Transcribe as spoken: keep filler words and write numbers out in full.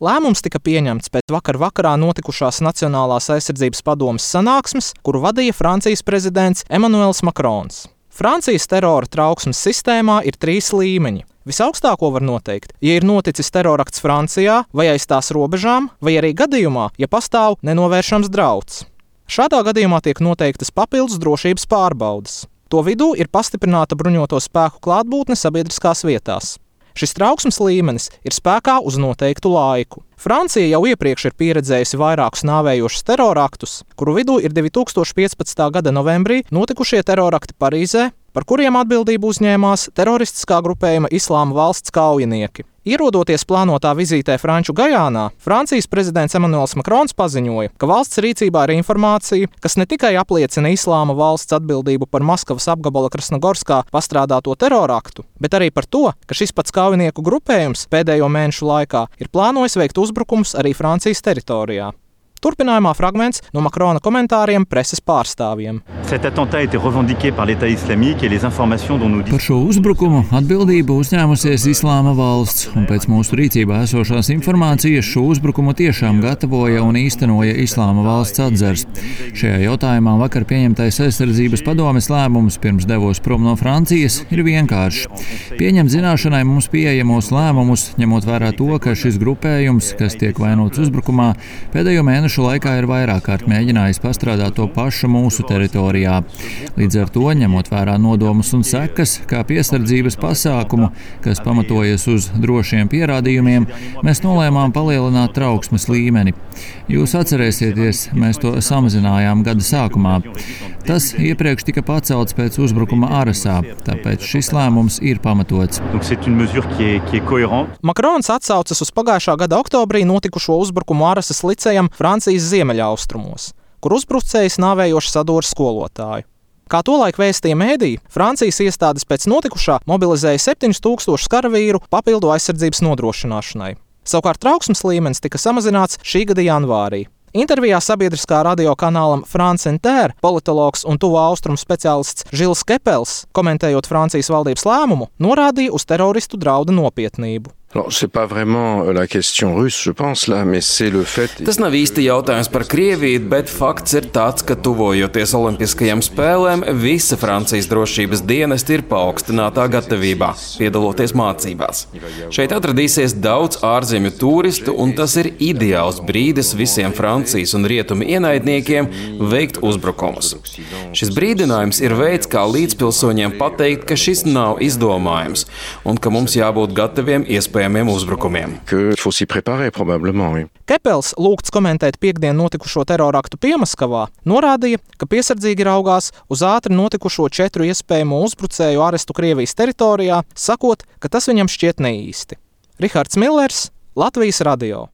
Lēmums tika pieņemts pēc vakar vakarā notikušās Nacionālās aizsardzības padomes sanāksmes, kuru vadīja Francijas prezidents Emmanuels Macrons. Francijas terora trauksmes sistēmā ir trīs līmeņi. Visaugstāko var noteikt, ja ir noticis terorakts Francijā vai aiz tās robežām, vai arī gadījumā, ja pastāv nenovēršams drauds. Šādā gadījumā tiek noteiktas papildus drošības pārbaudes. To vidū ir pastiprināta bruņoto spēku klātbūtne sabiedriskās vietās. Šis trauksmes līmenis ir spēkā uz noteiktu laiku. Francija jau iepriekš ir pieredzējusi vairākus nāvējošus teroraktus, kuru vidū ir divi tūkstoši piecpadsmitā gada novembrī notikušie terorakti Parīzē, par kuriem atbildību uzņēmās teroristiskā grupējuma Islāma valsts kaujinieki. Ierodoties plānotā vizītē Franču Gajānā, Francijas prezidents Emmanuels Macrons paziņoja, ka valsts rīcībā ir informācija, kas ne tikai apliecina Islāma valsts atbildību par Maskavas apgabala Krasnogorskā pastrādāto teroraktu, bet arī par to, ka šis pats kaujinieku grupējums pēdējo mēnešu laikā ir plānojis veikt uzbrukumus arī Francijas teritorijā. Turpinājumā fragments no Macrona komentāriem preses pārstāvjiem. Par šo uzbrukumu atbildību uzņēmusies Islāma valsts, un pēc mūsu rīcībā esošās informācijas šo uzbrukumu tiešām gatavoja un īstenoja Islāma valsts atzars. Šajā jautājumā vakar pieņemtais aizsardzības padomes lēmums pirms devos prom no Francijas ir vienkāršs. Pieņemt zināšanai mums pieejamos lēmumus, ņemot vērā to, ka šis grupējums, kas tiek vainots uzbrukumā, pēdējo mēnešu laikā ir vairāk kārt mēģinājis pastrādāt to pašu mūsu teritorijā. Līdz ar to, ņemot vērā nodomus un sekas, kā piesardzības pasākumu, kas pamatojas uz drošiem pierādījumiem, mēs nolēmām palielināt trauksmes līmeni. Jūs atcerēsieties, mēs to samazinājām gada sākumā. Tas iepriekš tika pacelts pēc uzbrukuma Arasā, tāpēc šis lēmums ir pamatots. Macrons atsaucas uz pagājušā gada oktobrī notikušo uzbrukumu Arasas licejam Francijas ziemeļaustrumos, kur uzbrucējs nāvējoši sadūra skolotāju. Kā tolaik vēstīja mēdīji, Francijas iestādes pēc notikušā mobilizēja septiņus tūkstošus karavīru papildu aizsardzības nodrošināšanai. Savukārt trauksmes līmenis tika samazināts šī gada janvārī. Intervijā sabiedriskā radio kanālam France Inter politologs un tuvo austrumu speciālists Žils Kepels, komentējot Francijas valdības lēmumu, norādīja uz teroristu draudu nopietnību. Tas nav īsti jautājums par Krieviju, bet fakts ir tāds, ka tuvojoties Olimpiskajām spēlēm, visa Francijas drošības dienesti ir paaugstinātā gatavībā, piedaloties mācībās. Šeit atradīsies daudz ārzemju turistu, un tas ir ideāls brīdis visiem Francijas un rietumu ienaidniekiem veikt uzbrukumus. Šis brīdinājums ir veids, kā līdzpilsoņiem pateikt, ka šis nav izdomājums, un ka mums jābūt gataviem iespējams uzbrukumiem. Kepels, lūgts komentēt piekdien notikušo teroraktu Piemaskavā, norādīja, ka piesardzīgi raugās uz ātri notikušo četru iespējamo uzbrucēju arestu Krievijas teritorijā, sakot, ka tas viņam šķiet neīsti. Rihards Millers, Latvijas radio.